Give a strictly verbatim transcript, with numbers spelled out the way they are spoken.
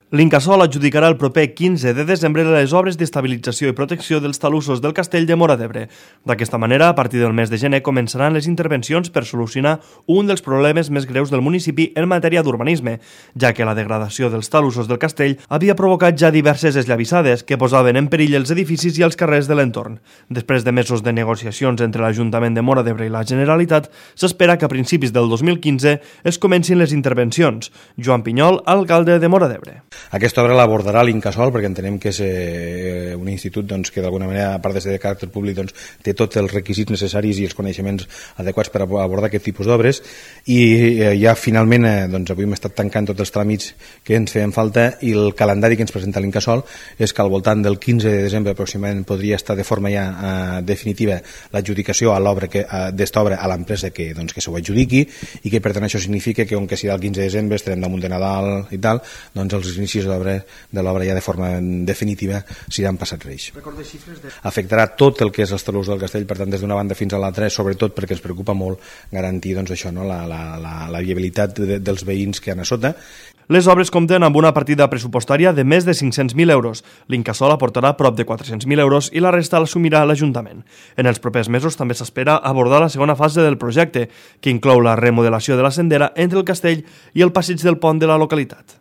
L'Incasòl adjudicarà el proper quinze de desembre les obres d'estabilització i protecció dels talussos del castell de Móra d'Ebre. D'aquesta manera, a partir del mes de gener començaran les intervencions per solucionar un dels problemes més greus del municipi en matèria d'urbanisme, ja que la degradació dels talussos del castell havia provocat ja diverses esllavissades que posaven en perill els edificis i els carrers de l'entorn. Després de mesos de negociacions entre l'Ajuntament de Móra d'Ebre i la Generalitat, s'espera que a principis del dos mil quinze es comencin les intervencions. Joan Pinyol, alcalde de Móra d'Ebre. Aquesta obra l'abordarà l'Incasòl perquè entenem que és eh, un institut doncs, que d'alguna manera, a part de ser de caràcter públic, doncs, té tots els requisits necessaris i els coneixements adequats per abordar aquest tipus d'obres i eh, ja finalment eh, doncs, avui hem estat tancant tots els tràmits que ens feien falta i el calendari que ens presenta l'Incasòl és que al voltant del quinze de desembre aproximadament podria estar de forma ja eh, definitiva l'adjudicació a l'obra que eh, d'esta obra a l'empresa que, doncs, que s'ho adjudiqui i que per tant això significa que on que serà el quinze de desembre estarem damunt de Nadal i tal, doncs els inicis de l'obra ja de forma definitiva s'hiran passats reis. De... Afectarà tot el que és els talussos del castell, per tant des d'una banda fins a l'altra, sobretot perquè ens preocupa molt garantir doncs, això, no? la, la, la, la viabilitat de, dels veïns que han a sota. Les obres compten amb una partida pressupostària de més de cinc-cents mil euros. L'Incasòl aportarà prop de quatre-cents mil euros i la resta l'assumirà l'Ajuntament. En els propers mesos també s'espera abordar la segona fase del projecte, que inclou la remodelació de la sendera entre el castell i el passeig del pont de la localitat.